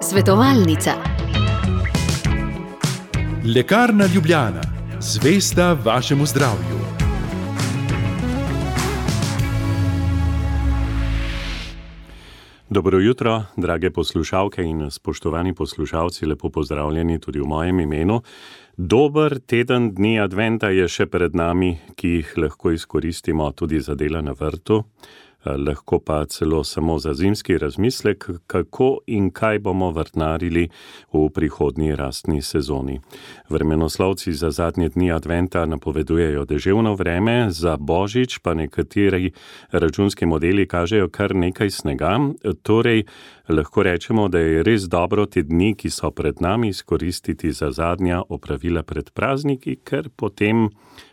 Svetovalnica. Lekarna Ljubljana, zvesta vašemu zdravju. Dobro jutro, drage poslušalke in spoštovani poslušalci, lepo pozdravljeni tudi v mojem imenu. Dober teden dni adventa je še pred nami, ki jih lahko izkoristimo tudi za dela na vrtu, lahko pa celo samo za zimski razmislek, kako in kaj bomo vrtnarili v prihodnji rastni sezoni. Vremenoslovci za zadnje dni adventa napovedujejo deževno vreme, za Božič pa nekateri računski modeli kažejo kar nekaj snega, torej lahko rečemo, da je res dobro te dni, ki so pred nami, izkoristiti za zadnja opravila pred prazniki, ker potem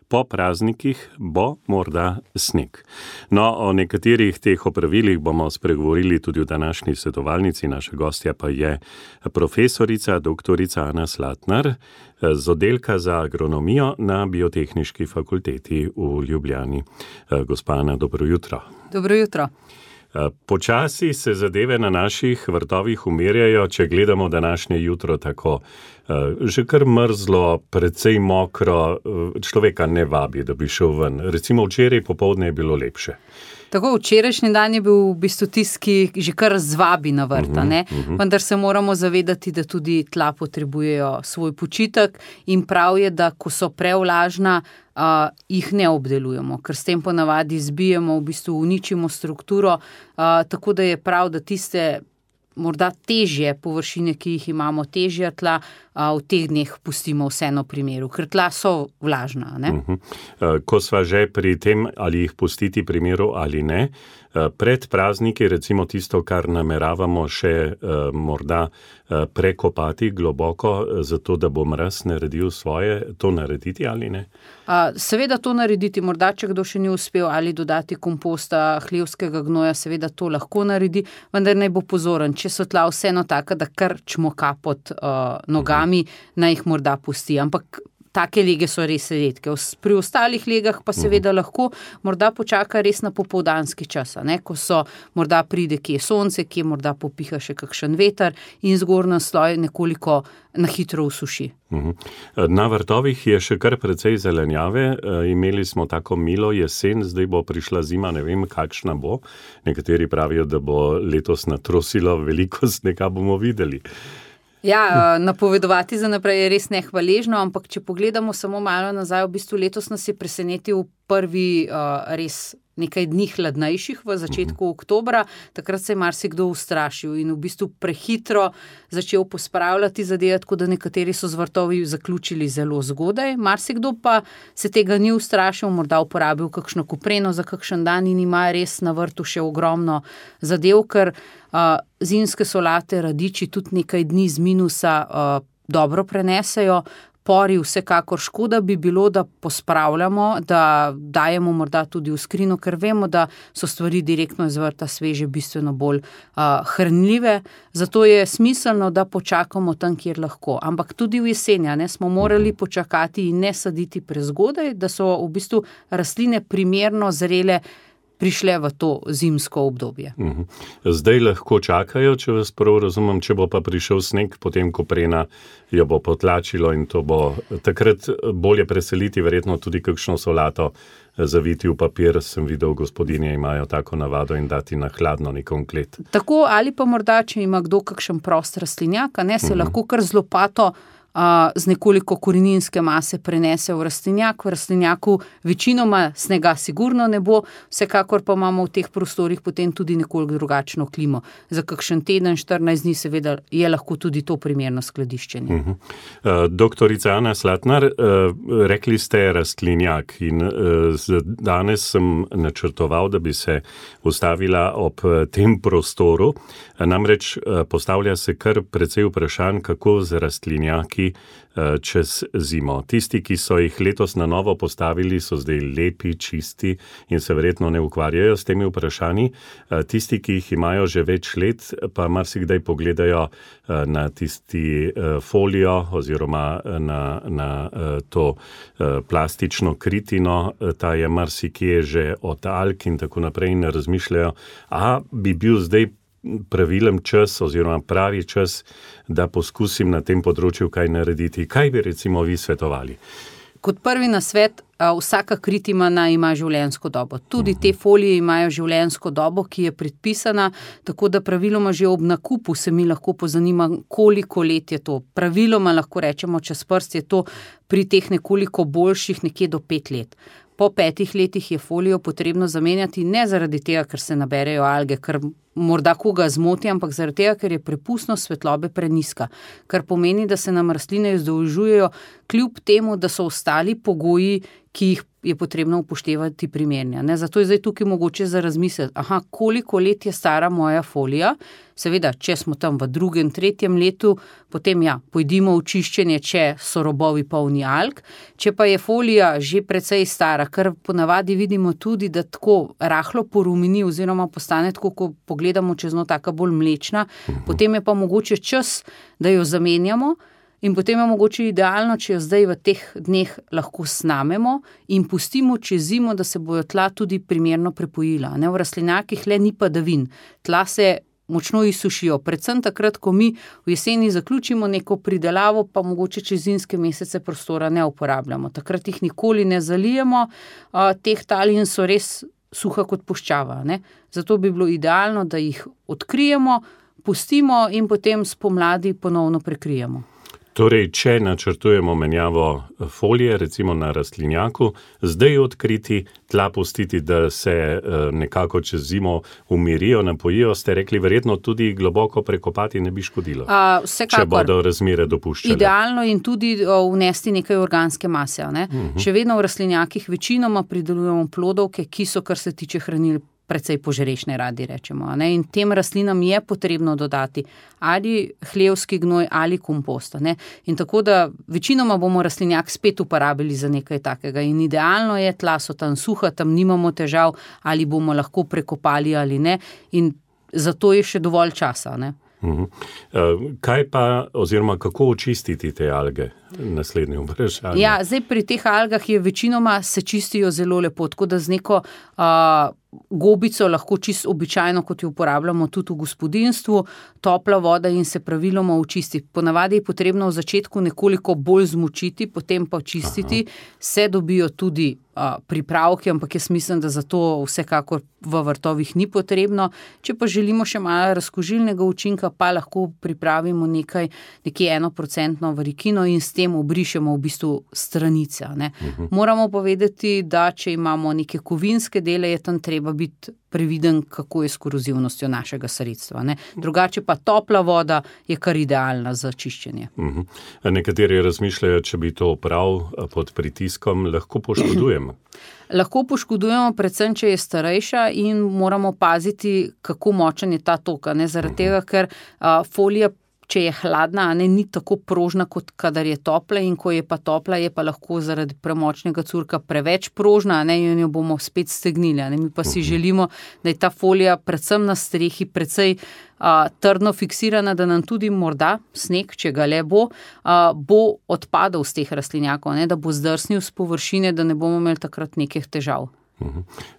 po praznikih bo morda sneg. No, o nekaterih teh opravilih bomo spregovorili tudi v današnji svetovalnici. Naša gostja pa je profesorica doktorica Ana Slatnar z oddelka za agronomijo na Biotehniški fakulteti v Ljubljani. Gospa Ana, dobro jutro. Dobro jutro. Počasi se zadeve na naših vrtovih umirjajo, če gledamo današnje jutro tako. Že kar mrzlo, precej mokro, človeka ne vabi, da bi šel ven. Recimo včeraj popoldne je bilo lepše. Tako, včerajšnji dan je bil v bistvu tisti, ki že kar zvabi na vrta, ne? Vendar se moramo zavedati, da tudi tla potrebujejo svoj počitek in prav je, da ko so prevlažna, jih ne obdelujemo, ker s tem ponavadi zbijemo, v bistvu uničimo strukturo, tako da je prav, da tiste morda težje površine, ki jih imamo, težja tla, v teh dneh pustimo vseeno primeru, ker tla so vlažna, ne? Ko sva že pri tem, ali jih pustiti primeru ali ne, pred prazniki, recimo tisto, kar nameravamo še morda prekopati globoko, zato da bo mraz naredil svoje, to narediti ali ne? Seveda to narediti, morda če kdo še ni uspel ali dodati komposta, hlevskega gnoja, seveda to lahko naredi, vendar naj bo pozoren, če so tla vseeno taka, da kar čmoka pod nogami, naj jih morda pusti, ampak take lege so res redke. Pri ostalih legah pa seveda lahko morda počaka res na popoldanski čas, ne? Ko so morda pride kje sonce, kje morda popiha še kakšen veter in zgornji sloj nekoliko na hitro usuši. Na vrtovih je še kar precej zelenjave, imeli smo tako milo jesen, zdaj bo prišla zima, ne vem kakšna bo. Nekateri pravijo, da bo letos natrosilo, veliko snega bomo videli. Ja, napovedovati za naprej je res nehvaležno, ampak če pogledamo samo malo nazaj, v bistvu letos nas je presenetil prvi res nekaj dni hladnejših v začetku oktobra, takrat se je marsikdo ustrašil in v bistvu prehitro začel pospravljati zadeve, tako da nekateri so z vrtovi zaključili zelo zgodaj, marsikdo pa se tega ni ustrašil, morda uporabil kakšno kopreno za kakšen dan in ima res na vrtu še ogromno zadev, ker zimske solate, radiči tudi nekaj dni z minusa dobro prenesejo. Pori vsekakor škoda bi bilo, da pospravljamo, da dajemo morda tudi v skrino, ker vemo, da so stvari direktno iz vrta sveže bistveno bolj hranljive. Zato je smiselno, da počakamo tam, kjer lahko. Ampak tudi v jesenja smo morali počakati in ne saditi prezgodaj, da so v bistvu rastline primerno zrele prišle v to zimsko obdobje. Zdaj lahko čakajo, če vas prav razumem, če bo pa prišel sneg, potem koprena jo bo potlačilo in to bo takrat bolje preseliti, verjetno tudi kakšno solato zaviti v papir, sem videl, gospodinje imajo tako navado in dati na hladno nekom klet. Tako, ali pa morda, če ima kdo kakšen prost rastlinjak, se lahko kar z lopato z nekoliko koreninske mase prenese v rastlinjak. V rastlinjaku večinoma snega sigurno ne bo, vsekakor pa imamo v teh prostorih potem tudi nekoliko drugačno klimo. Za kakšen teden, 14 dni seveda je lahko tudi to primerno skladiščenje. Doktorica Ana Slatnar, rekli ste rastlinjak in danes sem načrtoval, da bi se ustavila ob tem prostoru. Namreč postavlja se kar precej vprašanj, kako z rastlinjaki čez zimo. Tisti, ki so jih letos na novo postavili, so zdaj lepi, čisti in se verjetno ne ukvarjajo s temi vprašanji. Tisti, ki jih imajo že več let, pa marsikdaj pogledajo na tisti folijo oziroma na to plastično kritino, ta je marsikje že od alg in tako naprej in razmišljajo, bi bil zdaj pravilen čas oziroma pravi čas, da poskusim na tem področju kaj narediti? Kaj bi recimo vi svetovali? Kot prvi nasvet, vsaka kritimana ima življenjsko dobo. Tudi te folije imajo življenjsko dobo, ki je predpisana, tako da praviloma že ob nakupu se mi lahko pozanima, koliko let je to. Praviloma lahko rečemo, čez prst je to pri teh nekoliko boljših nekje do 5 let. Po 5 letih je folijo potrebno zamenjati, ne zaradi tega, ker se naberejo alge, ker morda koga zmoti, ampak zaradi tega, ker je prepustnost svetlobe prenizka. Kar pomeni, da se nam rastline izdolžujejo kljub temu, da so ostali pogoji, ki jih je potrebno upoštevati primerni. Zato je zdaj tukaj mogoče za razmisliti, koliko let je stara moja folija. Seveda, če smo tam v 2., 3. letu, potem pojdimo v čiščenje, če so robovi polni alg. Če pa je folija že precej stara, kar ponavadi vidimo tudi, da tako rahlo porumeni oziroma postane tako, ko pogledamo čez njo, taka bolj mlečna, potem je pa mogoče čas, da jo zamenjamo. In potem je mogoče idealno, če jo zdaj v teh dneh lahko snamemo in pustimo čez zimo, da se bojo tla tudi primerno prepojila. V rastlinjakih le ni padavin. Tla se močno izsušijo, predvsem takrat, ko mi v jeseni zaključimo neko pridelavo, pa mogoče čez zimske mesece prostora ne uporabljamo. Takrat jih nikoli ne zalijemo, teh tal in so res suha kot puščava. Zato bi bilo idealno, da jih odkrijemo, pustimo in potem spomladi ponovno prekrijemo. Torej, če načrtujemo menjavo folije, recimo na rastlinjaku, zdaj odkriti, tla pustiti, da se nekako čez zimo umirijo, napojijo, ste rekli, verjetno tudi globoko prekopati ne bi škodilo, če bodo razmere dopuščale. Idealno in tudi vnesti nekaj organske mase. Še vedno v rastlinjakih večinoma pridelujemo plodovke, ki so, kar se tiče hranil, precej požrešne, radi rečemo. In tem rastlinam je potrebno dodati ali hlevski gnoj ali kompost. In tako da večinoma bomo rastlinjak spet uporabili za nekaj takega. In idealno je, tla so tam suha, tam nimamo težav, ali bomo lahko prekopali ali ne. In zato je še dovolj časa. Kaj pa, oziroma kako očistiti te alge? Naslednje vprašanje. Zdaj pri teh algah je večinoma se čistijo zelo lepo, tako da z neko gobico lahko čisto običajno, kot jo uporabljamo tudi v gospodinjstvu, topla voda in se praviloma očisti. Ponavadi je potrebno v začetku nekoliko bolj zmočiti, potem pa očistiti. Se dobijo tudi pripravki, ampak jaz mislim, da za to vsekakor v vrtovih ni potrebno. Če pa želimo še malo razkužilnega učinka, pa lahko pripravimo nekje 1% varikino in s tem obrišemo v bistvu stranice. Moramo povedati, da če imamo neke kovinske dele, je tam treba biti previden, kako je s korozivnostjo našega sredstva. Drugače pa topla voda je kar idealna za čiščenje. Nekateri razmišljajo, če bi to prav pod pritiskom lahko poškodujemo. Lahko poškodujemo, predvsem, če je starejša in moramo paziti, kako močen je ta tok. Zaradi tega, ker folija, če je hladna, ni tako prožna, kot kadar je topla, in ko je pa topla, je pa lahko zaradi premočnega curka preveč prožna, in jo bomo spet stegnili. Mi pa si želimo, da je ta folija predvsem na strehi precej trdno fiksirana, da nam tudi morda sneg, če ga le bo odpadal z teh rastlinjakov, da bo zdrsnil z površine, da ne bomo imeli takrat nekih težav.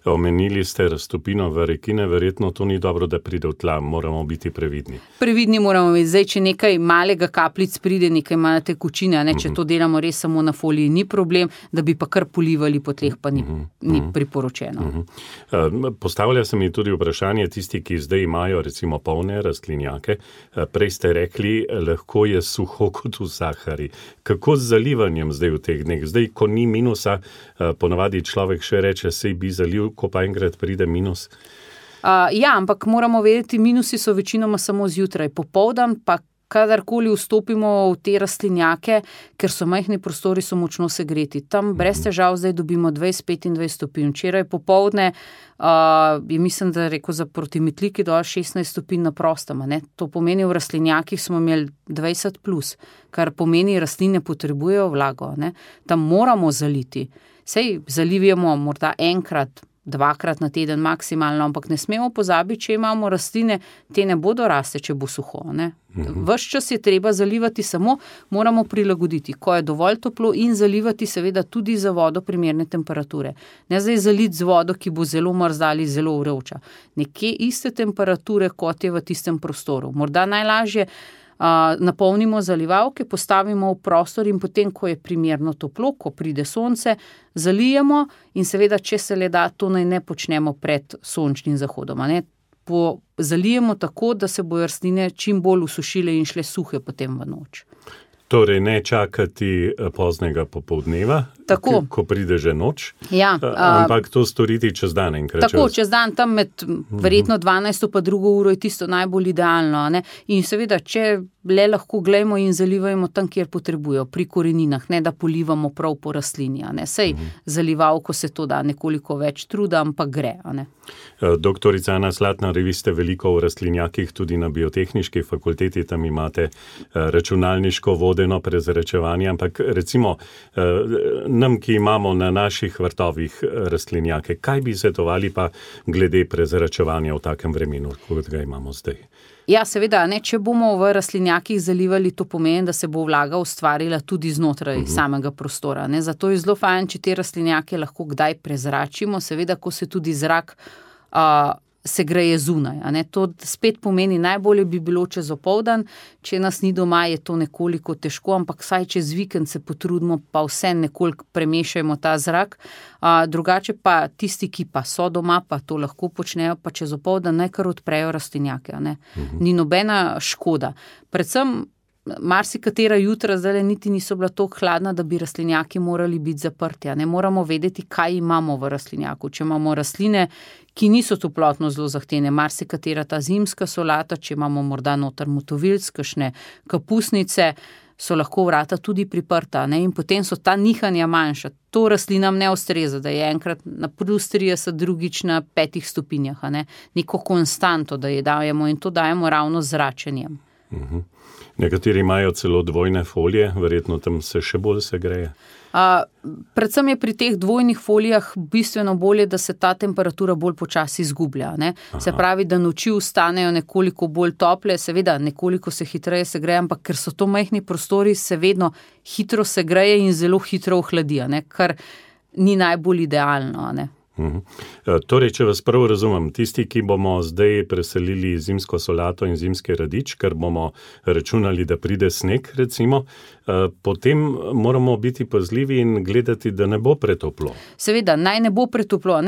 Omenili ste raztopino varekine, verjetno to ni dobro, da pride v tla, moramo biti previdni. Previdni moramo biti. Zdaj, če nekaj malega kapljic pride, nekaj male tekočine, če to delamo res samo na foliji, ni problem, da bi pa kar polivali po tleh, pa ni priporočeno. Postavlja se mi tudi vprašanje, tisti, ki zdaj imajo recimo polne rastlinjake, prej ste rekli, lahko je suho kot v Sahari. Kako z zalivanjem zdaj v teh dneh? Zdaj, ko ni minusa, ponavadi človek še reče, sej bi zaliv, ko pa enkrat pride minus? Ampak moramo vedeti, minusi so večinoma samo zjutraj. Popoldan pa kadarkoli vstopimo v te rastlinjake, ker so majhni prostori, so močno segreti. Tam brez težav zdaj dobimo 20-25 stopinj. Včeraj popoldne mislim, da rekel za protimetliki dol 16 stopinj na prostem. To pomeni, v rastlinjakih smo imeli 20+, kar pomeni, rastline potrebujejo vlago. Tam moramo zaliti. Sej zalivamo morda enkrat 2-krat na teden maksimalno, ampak ne smemo pozabiti, če imamo rastline, te ne bodo raste, če bo suho. Ves čas je treba zalivati, samo moramo prilagoditi, ko je dovolj toplo in zalivati seveda tudi za vodo primerne temperature. Ne zdaj zaliti z vodo, ki bo zelo mrzla ali zelo vroča. Nekje iste temperature, kot je v tistem prostoru. Morda najlažje napolnimo zalivalke, postavimo v prostor in potem, ko je primerno toplo, ko pride sonce, zalijemo in seveda, če se le da, to naj ne počnemo pred sončnim zahodom. Zalijemo tako, da se bojo rastline čim bolj usušile in šle suhe potem v noč. Torej ne čakati poznega popoldneva, ko pride že noč, ampak to storiti čez dan enkrat. Tako, čez dan, tam med verjetno 12. pa 2. uro je tisto najbolj idealno. In seveda, če le lahko glejmo in zalivajmo tam, kjer potrebujo, pri koreninah, ne da polivamo prav po rastlini. Sej zalivalko se to da nekoliko več truda, ampak gre. Doktorica Ana Slatnar, vi ste veliko v rastlinjakih, tudi na biotehniški fakulteti, tam imate računalniško vodeno prezračevanje, ampak recimo nam, ki imamo na naših vrtovih rastlinjake, kaj bi svetovali pa glede prezračevanja v takem vremenu, kot ga imamo zdaj? Ja, seveda, če bomo v rastlinjakih zalivali, to pomeni, da se bo vlaga ustvarila tudi znotraj samega prostora. Zato je zelo fajn, če te rastlinjake lahko kdaj prezračimo, seveda, ko se tudi zrak se greje zunaj. To spet pomeni, najbolje bi bilo čez opoldan, če nas ni doma, je to nekoliko težko, ampak vsaj čez vikend se potrudimo, pa vse nekoliko premešajmo ta zrak. Drugače pa tisti, ki pa so doma, pa to lahko počnejo, pa čez opoldan naj kar odprejo rastlinjake. Ni nobena škoda. Predvsem marsikatera jutra zdaj niti niso bila toliko hladna, da bi rastlinjaki morali biti zaprti. Moramo vedeti, kaj imamo v rastlinjaku. Če imamo rastline, ki niso toplotno zelo zahtevne, marsikatera ta zimska solata, če imamo morda noter motovilc, kakšne kapusnice, so lahko vrata tudi priprta, in potem so ta nihanja manjša. To rastlinam ne ustreza, da je enkrat na +30, drugič na 5 stopinjah. Neko konstanto, da je dajemo, in to dajemo ravno z zračenjem. Nekateri imajo celo dvojne folije, verjetno tam se še bolj segreje. Predvsem je pri teh dvojnih folijah bistveno bolje, da se ta temperatura bolj počasi izgublja. Se pravi, da noči ostanejo nekoliko bolj tople, seveda nekoliko se hitreje segreje, ampak ker so to majhni prostori, se vedno hitro segreje in zelo hitro ohladi, kar ni najbolj idealno. Torej, če vas prav razumem, tisti, ki bomo zdaj preselili zimsko solato in zimski radič, ker bomo računali, da pride sneg, recimo, potem moramo biti pazljivi in gledati, da ne bo pretoplo. Seveda, naj ne bo pretoplo.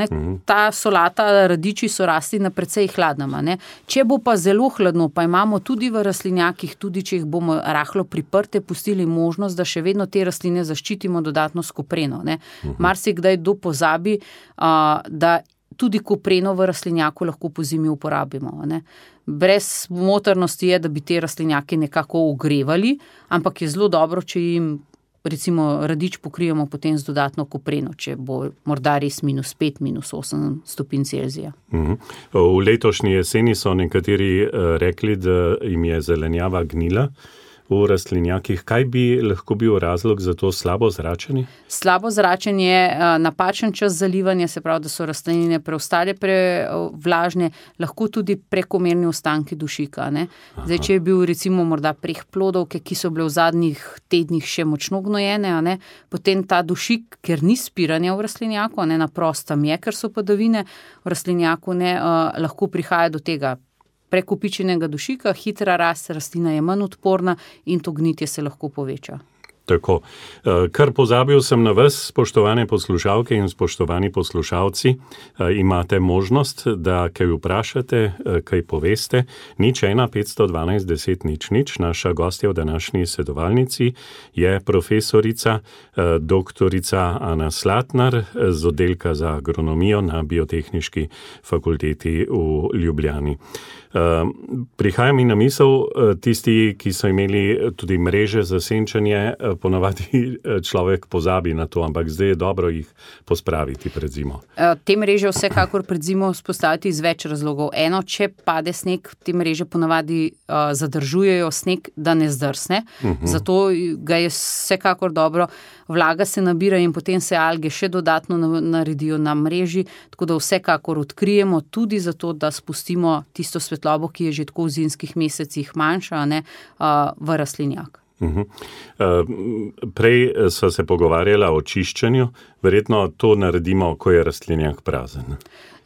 Ta solata, radiči so rasti na precej hladnem. Če bo pa zelo hladno, pa imamo tudi v rastlinjakih, tudi če jih bomo rahlo priprte, pustili možnost, da še vedno te rastline zaščitimo dodatno s kopreno. Marsikdaj kdo pozabi, da tudi kopreno v rastlinjaku lahko pozimi uporabimo. Brez motornosti je, da bi te rastlinjake nekako ogrevali, ampak je zelo dobro, če jim recimo radič pokrijemo potem z dodatno kopreno, če bo morda res -5, -8 stopinj Celzija. V letošnji jeseni so nekateri rekli, da jim je zelenjava gnila v rastlinjakih. Kaj bi lahko bil razlog za to slabo zračenje? Slabo zračenje, napačen čas zalivanja, se pravi, da so rastline preostale prevlažne, lahko tudi prekomerni ostanki dušika. Zdaj, če je bil recimo morda preh plodovke, ki so bile v zadnjih tednih še močno gnojene, potem ta dušik, ker ni spiranja v rastlinjaku, na prostem je, ker so padavine v rastlinjaku, lahko prihaja do tega prekopičenega dušika, hitra rast, rastlina je manj odporna in to gnitje se lahko poveča. Tako. Kar pozabil sem na vas, spoštovane poslušalke in spoštovani poslušalci, imate možnost, da kaj vprašate, kaj poveste. 01 512 10 00. Naša gostja v današnji sedovalnici je profesorica doktorica Ana Slatnar z oddelka za agronomijo na Biotehniški fakulteti v Ljubljani. Prihaja mi na misel tisti, ki so imeli tudi mreže za senčenje ponavadi človek pozabi na to, ampak zdaj je dobro jih pospraviti pred zimo. Te mreže vsekakor pred zimo vzpostaviti iz več razlogov. Eno, če pade sneg, te mreže ponavadi zadržujejo sneg, da ne zdrsne. Zato ga je vsekakor dobro. Vlaga se nabira in potem se alge še dodatno naredijo na mreži, tako da vsekakor odkrijemo tudi zato, da spustimo tisto svetlobo, ki je že tako v zimskih mesecih manjša, v rastlinjak. Prej so se pogovarjala o čiščenju, verjetno to naredimo, ko je rastlinjak prazen.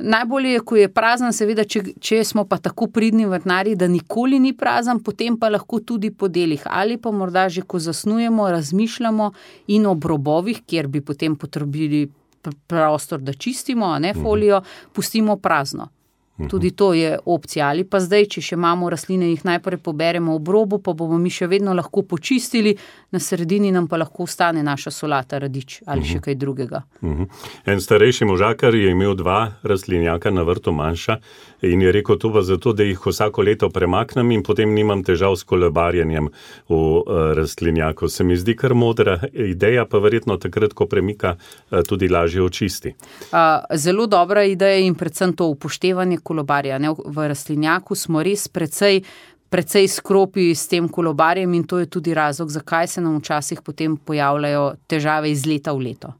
Najbolje je, ko je prazen, seveda, če smo pa tako pridni vrtnarji, da nikoli ni prazen, potem pa lahko tudi po delih ali pa morda že, ko zasnujemo, razmišljamo in ob robovih, kjer bi potem potrebili prostor, da čistimo, folijo, pustimo prazno. Tudi to je opcija. Ali pa zdaj, če še imamo rastline, jih najprej poberemo ob robu, pa bomo mi še vedno lahko počistili, na sredini nam pa lahko ostane naša solata, radič ali še kaj drugega. En starejši možakar je imel 2 rastlinjaka na vrtu manjša in je rekel, to pa zato, da jih vsako leto premaknem in potem nimam težav s kolebarjenjem v rastlinjaku. Se mi zdi kar modra ideja, pa verjetno takrat, ko premika, tudi lažje očisti. Zelo dobra ideja in predvsem to upoštevanje kolobarja. V rastlinjaku smo res precej skropi s tem kolobarjem in to je tudi razlog, zakaj se nam včasih potem pojavljajo težave iz leta v leto.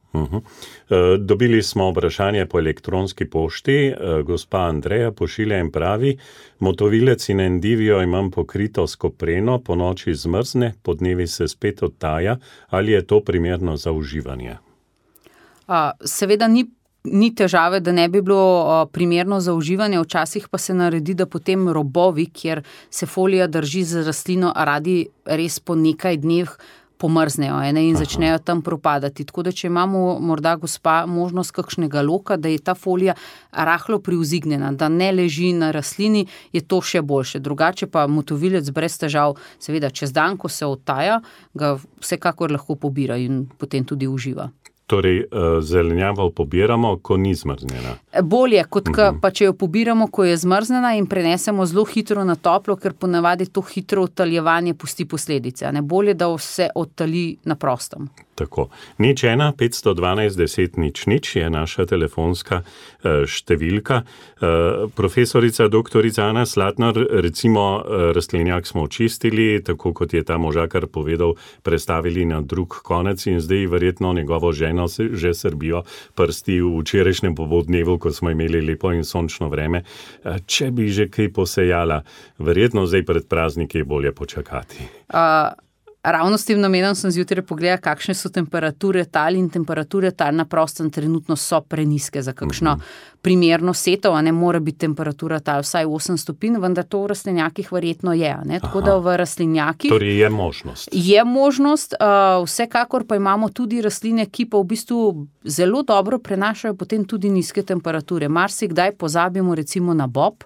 Dobili smo vprašanje po elektronski pošti. Gospa Andreja pošilja in pravi, motovilec in endivijo imam pokrito s kopreno, po noči zmrzne, po dnevi se spet odtaja. Ali je to primerno za uživanje? Seveda ni težave, da ne bi bilo primerno za uživanje, včasih pa se naredi, da potem robovi, kjer se folija drži z rastlino, radi res po nekaj dneh pomrznejo in začnejo tam propadati. Tako da, če imamo morda gospa možnost kakšnega loka, da je ta folija rahlo privzignjena, da ne leži na rastlini, je to še boljše. Drugače pa motovilec brez težav, seveda čez dan, ko se odtaja, ga vsekakor lahko pobira in potem tudi uživa. Torej, zelenjavo pobiramo, ko ni zmrznjena. Bolje, kot pa če jo pobiramo, ko je zmrznjena in prenesemo zelo hitro na toplo, ker ponavadi to hitro odtaljevanje pusti posledice. Bolje, da se odtalji na prostem. Tako. 01 512 10 00 je naša telefonska številka. Profesorica doktorica Ana Slatnar, recimo rastlinjak smo očistili, tako kot je ta možakar povedal, prestavili na drug konec in zdaj verjetno njegovo ženo že srbijo prsti v včerajšnjem popoldnevu, ko smo imeli lepo in sončno vreme. Če bi že kaj posejala, verjetno zdaj pred prazniki je bolje počakati. Ravno s tem namenom sem zjutraj pogledala, kakšne so temperature tal in temperature tal na prostem trenutno so preniske za kakšno primerno setov, mora biti temperatura tal vsaj 8 stopinj, vendar to v rastlinjakih verjetno je. Tako da v rastlinjakih torej je možnost. Je možnost, vsekakor pa imamo tudi rastline, ki pa v bistvu zelo dobro prenašajo potem tudi nizke temperature. Marsikdaj pozabimo recimo na bob.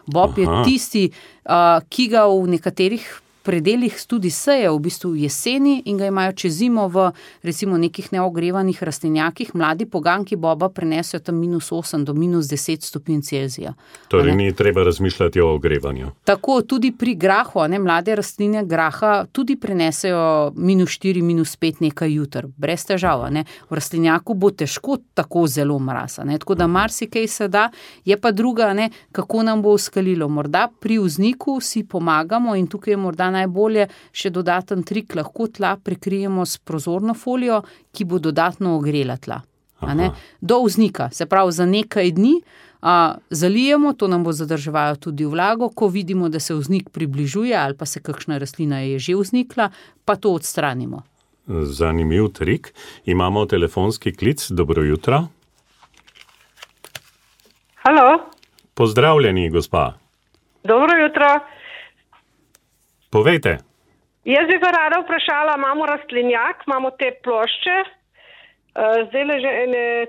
Bob je tisti, ki ga v nekaterih predelih tudi seje v bistvu jeseni in ga imajo čez zimo v recimo nekih neogrevanih rastlinjakih. Mladi poganki boba prenesejo tam -8 do -10 stopinj Celzija. Torej ni treba razmišljati o ogrevanju. Tako, tudi pri grahu, mlade rastline graha tudi prenesejo -4, -5 nekaj jutr, brez težav. V rastlinjaku bo težko tako zelo mraz. Tako da marsikaj se da, je pa druga, kako nam bo uskalilo. Morda pri vzniku si pomagamo in tukaj je morda najbolje še dodaten trik, lahko tla prekrijemo s prozorno folijo, ki bo dodatno ogrela tla. Do vznika, se pravi za nekaj dni zalijemo, to nam bo zadrževalo tudi vlago, ko vidimo, da se vznik približuje ali pa se kakšna rastlina je že vznikla, pa to odstranimo. Zanimiv trik. Imamo telefonski klic. Dobro jutro. Halo. Pozdravljeni, gospa. Dobro jutro. Povejte. Jaz bi pa rada vprašala, imamo rastlinjak, imamo te plošče, zdaj le že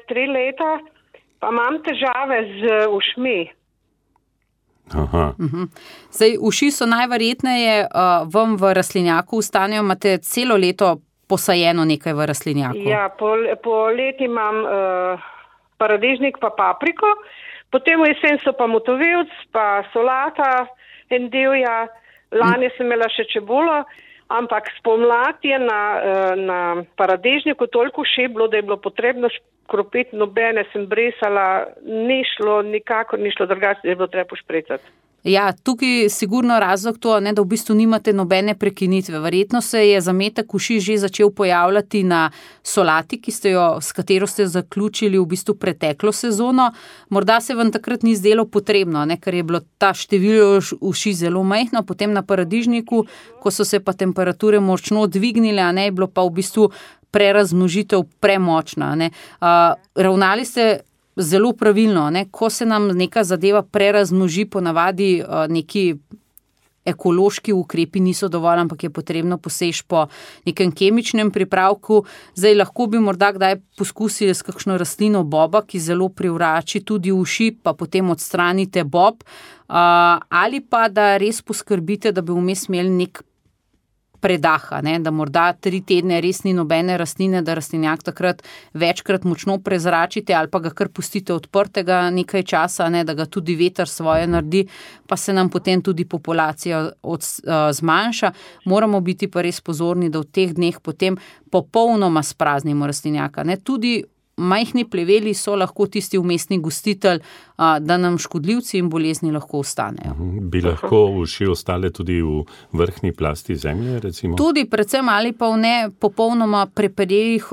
3 leta, pa imam težave z ušmi. Zdaj, uši so najverjetneje vam v rastlinjaku ostanejo, imate celo leto posajeno nekaj v rastlinjaku. Ja, po leti imam paradižnik pa papriko, potem v jesen so pa motovilc, pa solata, endivija. Lani sem imela še čebulo, ampak spomladi je na paradižniku toliko uši bilo, da je bilo potrebno škropiti, nobene sem brisala, nikakor ni šlo drugače, da je bilo treba pošpricati. Ja, tukaj sigurno razlog to, ne, da v bistvu nimate nobene prekinitve. Verjetno se je zametek uši že začel pojavljati na solati, s katero ste zaključili v bistvu preteklo sezono. Morda se vam takrat ni zdelo potrebno, ne, ker je bilo ta število uši zelo majhno, potem na paradižniku, ko so se pa temperature močno dvignile, je bilo pa v bistvu prerazmnožitev premočna. Ravnali ste zelo pravilno, ko se nam neka zadeva prerazmnoži, ponavadi neki ekološki ukrepi niso dovolj, ampak je potrebno poseči po nekem kemičnem pripravku. Zdaj lahko bi morda kdaj poskusili s kakšno rastlino boba, ki zelo privrači tudi uši, pa potem odstranite bob, ali pa da res poskrbite, da bi vmes imeli nek predaha, da morda 3 tedne res ni nobene rastline, da rastlinjak takrat večkrat močno prezračite ali pa ga kar pustite odprtega nekaj časa, da ga tudi veter svoje naredi, pa se nam potem tudi populacija zmanjša. Moramo biti pa res pozorni, da v teh dneh potem popolnoma spraznimo rastlinjaka. Tudi majhni pleveli so lahko tisti vmesni gostitelj, da nam škodljivci in bolezni lahko ostanejo. Bi lahko uši ostale tudi v vrhnji plasti zemlje, recimo? Tudi, predvsem ali pa v ne popolnoma prepedelih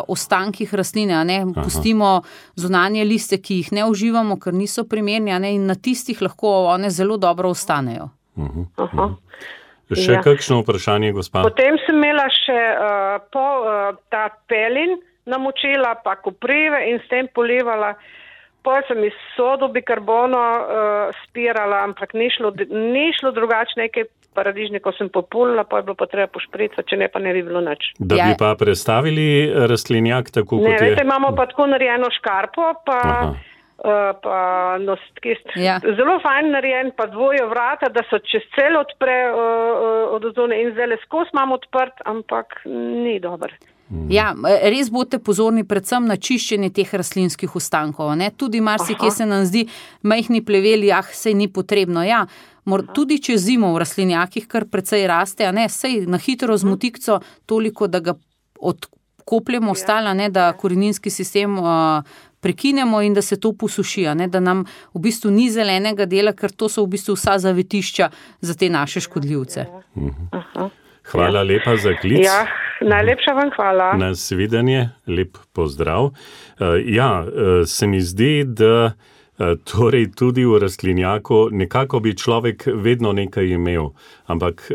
ostankih rastline, pustimo zunanje liste, ki jih ne uživamo, ker niso primerni, in na tistih lahko one zelo dobro ostanejo. Še kakšno vprašanje, gospa? Potem sem imela še ta pelin, namočila pa koprive in s tem polivala. Potem sem iz sodo bikarbono spirala, ampak ni šlo drugače, nekaj paradižnikov sem populila, pa je bilo pa treba pošpricati, če ne pa ne bi bilo nič. Da bi pa prestavili rastlinjak tako, kot je? Ne, veste, imamo pa tako narejeno škarpo, zelo fajn narejen, pa dvoje vrata, da so čez celo odpre od zone in zdaj skozi imamo odprt, ampak ni dober. Ja, res boste pozorni predvsem na čiščenje teh rastlinskih ostankov. Tudi marsikje se nam zdi majhni pleveli, sej ni potrebno. Ja, tudi če zimo v rastlinjakih kar precej raste, sej na hitro z motikco toliko, da ga odkopljemo ostala, da koreninski sistem prekinemo in da se to posuši, da nam v bistvu ni zelenega dela, ker to so v bistvu vsa zavetišča za te naše škodljivce. Hvala lepa za klic. Ja, najlepša vam hvala. Nasvidenje, lep pozdrav. Se mi zdi, da torej tudi v rastlinjaku nekako bi človek vedno nekaj imel, ampak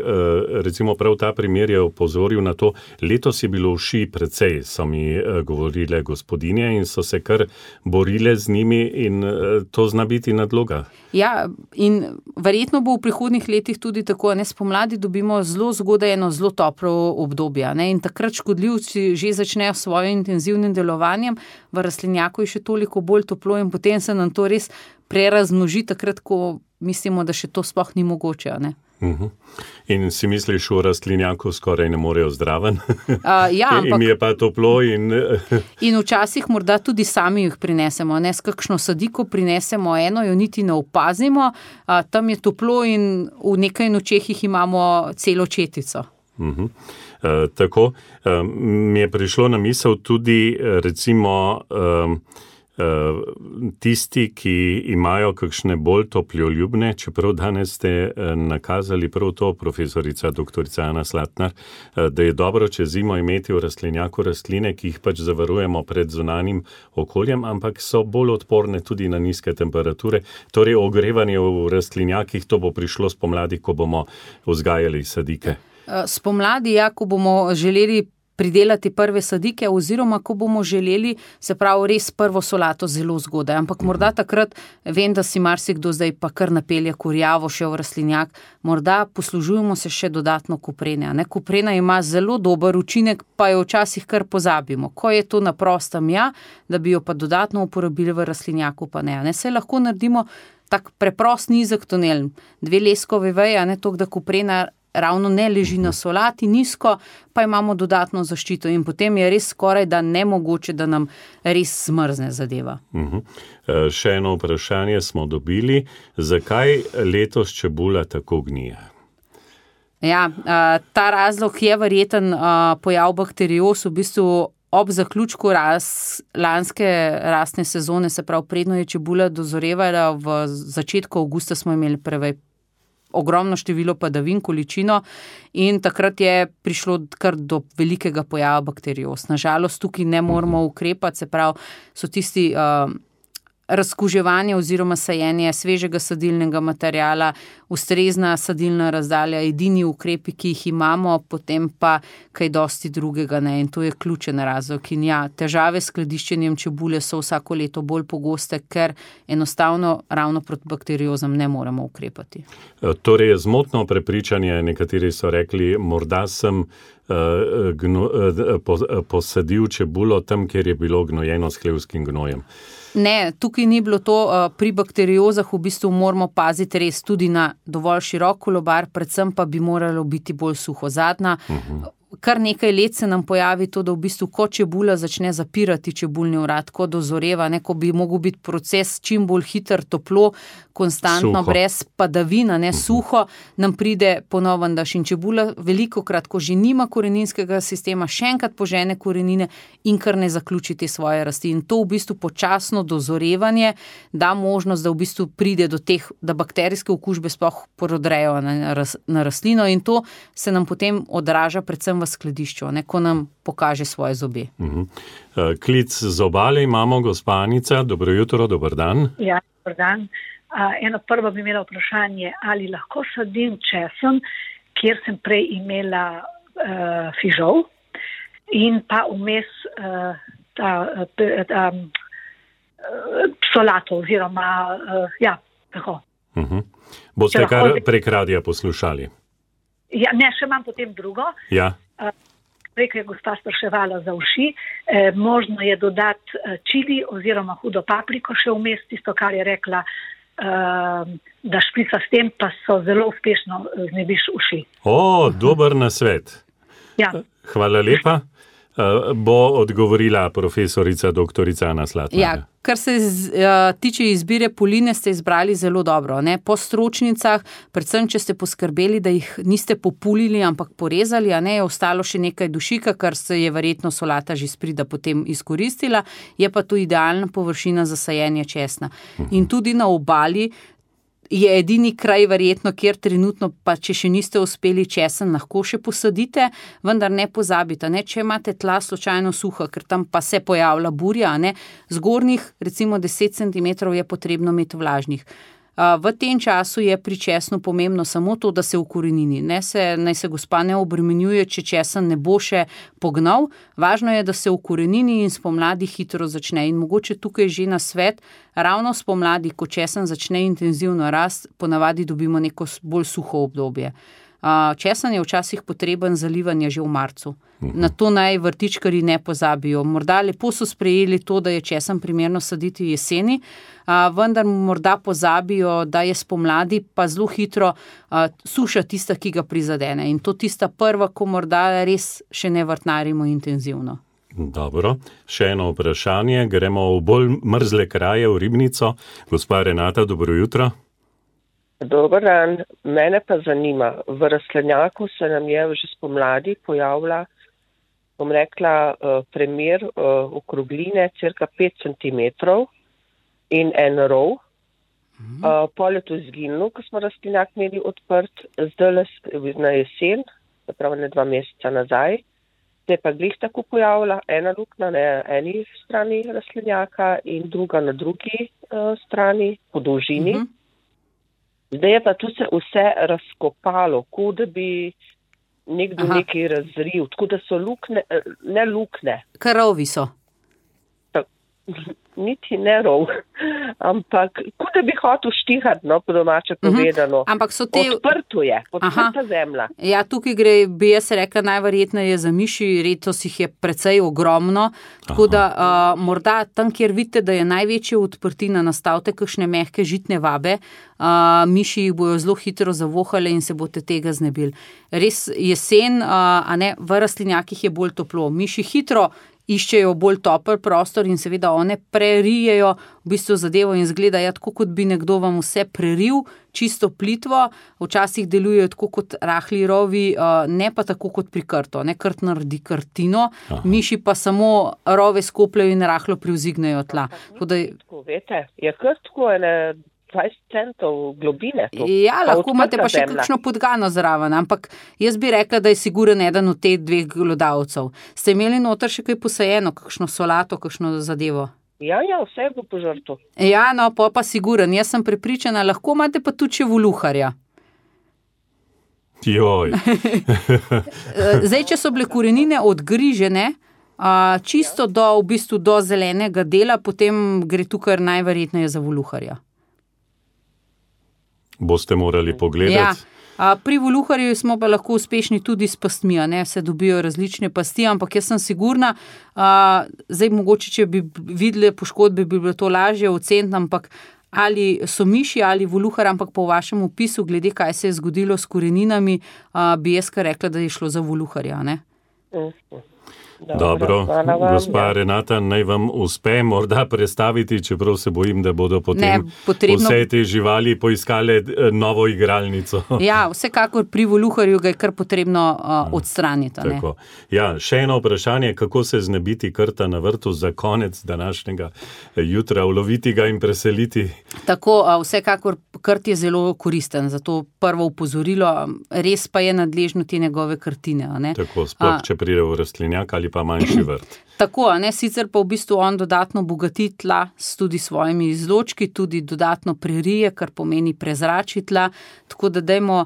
recimo prav ta primer je opozoril na to, letos je bilo uši precej, so mi govorile gospodinje in so se kar borile z njimi in to zna biti nadloga. Ja, in verjetno bo v prihodnjih letih tudi tako, spomladi dobimo zelo zgodaj eno zelo toplo obdobje, in takrat škodljivci že začnejo s svojim intenzivnim delovanjem, v rastlinjaku je še toliko bolj toplo in potem se nam to res prerazmnoži takrat, ko mislimo, da še to sploh ni mogoče, In si misliš, v rastlinjaku skoraj ne morejo zdraven? Ja, ampak... In je pa toplo in... In včasih morda tudi sami jih prinesemo, s kakšno sadiko prinesemo eno, jo niti ne opazimo, tam je toplo in v nekaj nočeh jih imamo celo četico. Tako, mi je prišlo na misel tudi, recimo, tisti, ki imajo kakšne bolj toploljubne, čeprav danes ste nakazali prav to, profesorica doktorica Ana Slatnar, da je dobro čez zimo imeti v rastlinjaku rastline, ki jih pač zavarujemo pred zunanjim okoljem, ampak so bolj odporne tudi na nizke temperature. Torej, ogrevanje v rastlinjakih, to bo prišlo spomladi, ko bomo vzgajali sadike. Spomladi, ko bomo želeli pridelati prve sadike oziroma ko bomo želeli, se pravi, res prvo solato zelo zgodaj. Ampak morda takrat, vem, da si marsikdo zdaj pa kar napelje kurjavo še v rastlinjak, morda poslužujemo se še dodatno koprene. Koprena ima zelo dober učinek, pa jo včasih kar pozabimo. Ko je to na prostem, da bi jo pa dodatno uporabili v rastlinjaku, pa ne. Se lahko naredimo tak preprost nizek tunel, 2 leskove veje, toliko, da koprena ravno ne leži na solati nizko, pa imamo dodatno zaščito in potem je res skoraj da nemogoče, da nam res zmrzne zadeva. Še eno vprašanje smo dobili. Zakaj letos čebula tako gnije? Ja, ta razlog je verjeten pojav bakterioz v bistvu ob zaključku lanske rastne sezone, se pravi predno je čebula dozorevala, v začetku avgusta smo imeli ogromno število padavin, količino in takrat je prišlo kar do velikega pojava bakterioz. Nažalost, tukaj ne moramo ukrepati, se pravi, so tisti razkuževanje oziroma sajenje svežega sadilnega materiala, ustrezna sadilna razdalja, edini ukrepi, ki jih imamo, potem pa kaj dosti drugega, ne, in to je ključen razlog. In ja, težave s skladiščenjem čebule so vsako leto bolj pogoste, ker enostavno ravno proti bakteriozam ne moremo ukrepati. Torej je zmotno prepričanje, nekateri so rekli, morda sem posadil čebulo tam, kjer je bilo gnojeno s hlevskim gnojem. Ne, tukaj ni bilo to, pri bakteriozah v bistvu moramo paziti res tudi na dovolj širok kolobar, predvsem pa bi moralo biti bolj suhozadna. Kar nekaj let se nam pojavi to, da v bistvu ko čebula začne zapirati čebulni vrat, ko dozoreva, ko bi mogel biti proces čim bolj hiter, toplo, konstantno, suho. Brez padavina, suho, nam pride ponoven daš in čebula velikokrat, ko že nima koreninskega sistema, še enkrat požene korenine in kar ne zaključi te svoje rasti. In to v bistvu počasno dozorevanje da možnost, da v bistvu pride do teh, da bakterijske okužbe sploh prodrejo na rastlino in to se nam potem odraža predvsem v skladišču, ko nam pokaže svoje zobe. Klic z obale imamo, gospa Anica, dobro jutro, dober dan. Ja, dober dan. Eno prvo bi imela vprašanje, ali lahko sadim česen, kjer sem prej imela fižol in pa vmes solato oziroma tako. Boste kar prek radija poslušali? Ja, ne, še imam potem drugo. Ja. Prej, ko je gospa spraševala za uši, možno je dodati čili oziroma hudo papriko še vmes, tisto, kar je rekla, da šprica s tem, pa so zelo uspešno znebiš uši. Dober nasvet. Ja. Hvala lepa. Bo odgovorila profesorica doktorica Ana Slatnar. Ja, kar se tiče izbire poline, ste izbrali zelo dobro. Po stročnicah, predvsem, če ste poskrbeli, da jih niste populili, ampak porezali, je ostalo še nekaj dušika, kar se je verjetno solata že sprida potem izkoristila, je pa to idealna površina za sajenje česna. In tudi na obali je edini kraj verjetno, kjer trenutno, pa če še niste uspeli česen, lahko še posadite, vendar ne pozabite, če imate tla slučajno suha, ker tam pa se pojavlja burja, zgornjih recimo 10 cm je potrebno imeti vlažnih. V tem času je pri česnu pomembno samo to, da se ukorenini. Naj se gospa ne obremenjuje, če česen ne bo še pognal. Važno je, da se ukorenini in spomladi hitro začne. In mogoče tukaj že na svet, ravno spomladi, ko česen začne intenzivno rast, ponavadi dobimo neko bolj suho obdobje. Česen je včasih potreben zalivanja že v marcu. Na to naj vrtičkarji ne pozabijo. Morda lepo so sprejeli to, da je česen primerno saditi jeseni, vendar morda pozabijo, da je spomladi pa zelo hitro suša tista, ki ga prizadene. In to tista prva, ko morda res še ne vrtnarimo intenzivno. Dobro, še eno vprašanje. Gremo v bolj mrzle kraje, v Ribnico. Gospa Renata, dobro jutro. Dober dan, mene pa zanima, v rastlinjaku se nam je že spomladi pojavila, bom rekla, primer okrogline cirka 5 cm in en rov. Pol je to izginilo, ko smo rastlinjak imeli odprt, zdaj na jesen, zapravo ne 2 meseca nazaj, se je pa glih tako pojavila, ena luknja na eni strani rastlinjaka in druga na drugi strani, po dolžini. Zdaj je pa tu se vse razkopalo, kot da bi nekdo nekaj razril, tako da so lukne, ne lukne. Karovi so. Niti ne rov, ampak kot da bi hotel štihati, po domače povedano. Ampak so te... Odprta zemlja. Ja, tukaj gre, bi jaz rekla, najverjetneje za miši, letos jih je precej ogromno, tako da morda tam, kjer vidite, da je največja odprtina, nastavite kakšne mehke žitne vabe, miši jih bojo zelo hitro zavohale in se boste tega znebili. Res jesen, v rastlinjakih je bolj toplo. Miši hitro iščejo bolj topel prostor in seveda one prerijejo v bistvu zadevo in zgleda, tako kot bi nekdo vam vse preril, čisto plitvo, včasih delujejo tako kot rahli rovi, ne pa tako kot pri krto, ne krt naredi krtino, miši pa samo rove skopljajo in rahlo privzignejo tla. Tako, veste, je krt tako 20 centov globine. Ja, lahko imate pa še kakšno podgano zraven, ampak jaz bi rekla, da je siguren eden od teh 2 glodavcev. Ste imeli noter še kaj posajeno, kakšno solato, kakšno zadevo? Ja, vse bo požrto. Ja, no, pa siguren, jaz sem prepričana, lahko imate pa tudi še voluharja. Joj. Zdaj, če so bile korenine odgrižene, čisto do zelenega dela, potem gre tukaj najverjetneje za voluharja. Boste morali pogledati. Ja, pri voluharju smo pa lahko uspešni tudi s pastmi, se dobijo različne pasti, ampak jaz sem sigurna, zdaj mogoče, če bi videli poškodbe, bi bilo to lažje oceniti, ampak ali so miši ali voluhar, ampak po vašem opisu, glede kaj se je zgodilo s koreninami, bi jaz kar rekla, da je šlo za voluharja, ne? Dobro, gospa Renata, naj vam uspe morda prestaviti, čeprav se bojim, da bodo potem vse te živali poiskale novo igralnico. Ja, vsekakor pri voluharju ga je kar potrebno odstraniti. Tako. Ja, še eno vprašanje, kako se znebiti krta na vrtu za konec današnjega jutra, uloviti ga in preseliti? Tako, vsekakor krt je zelo koristen, zato prvo opozorilo, res pa je nadležno te njegove krtine. Tako, sploh če pride v rastlinjak ali pa manjši vrt. Tako, sicer pa v bistvu on dodatno bogati tla s tudi svojimi izločki, tudi dodatno prerije, kar pomeni prezrači tla, tako da dajmo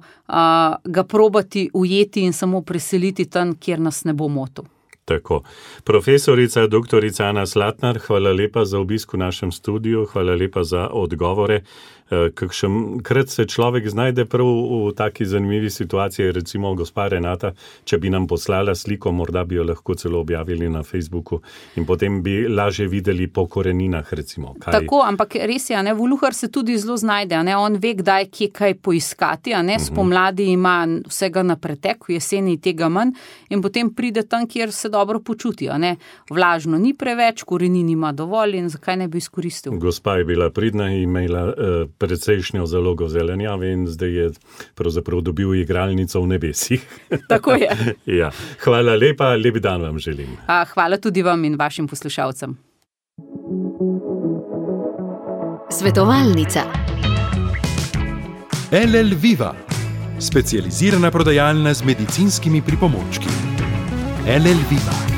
ga probati ujeti in samo preseliti tam, kjer nas ne bo motil. Tako. Profesorica, doktorica Ana Slatnar, hvala lepa za obisk v našem studiu, hvala lepa za odgovore. Kakšenkrat se človek znajde prav v taki zanimivi situaciji, recimo gospa Renata, če bi nam poslala sliko, morda bi jo lahko celo objavili na Facebooku in potem bi lažje videli po koreninah, recimo. Tako, ampak res je, voluhar se tudi zelo znajde, on ve, kdaj kje kaj poiskati, spomladi ima vsega na pretek, v jeseni tega manj in potem pride tam, kjer se dobro počuti, Vlažno ni preveč, korenin ima dovolj in zakaj ne bi izkoristil? Gospa je bila pridna in imela precejšnjo zalogo zelenjave in zdaj je pravzaprav dobil igralnico v nebesih. Tako je. Ja. Hvala lepa, lep dan vam želim. Hvala tudi vam in vašim poslušalcem. Svetovalnica. LL Viva, specializirana prodajalna z medicinskimi pripomočki. LL Viva.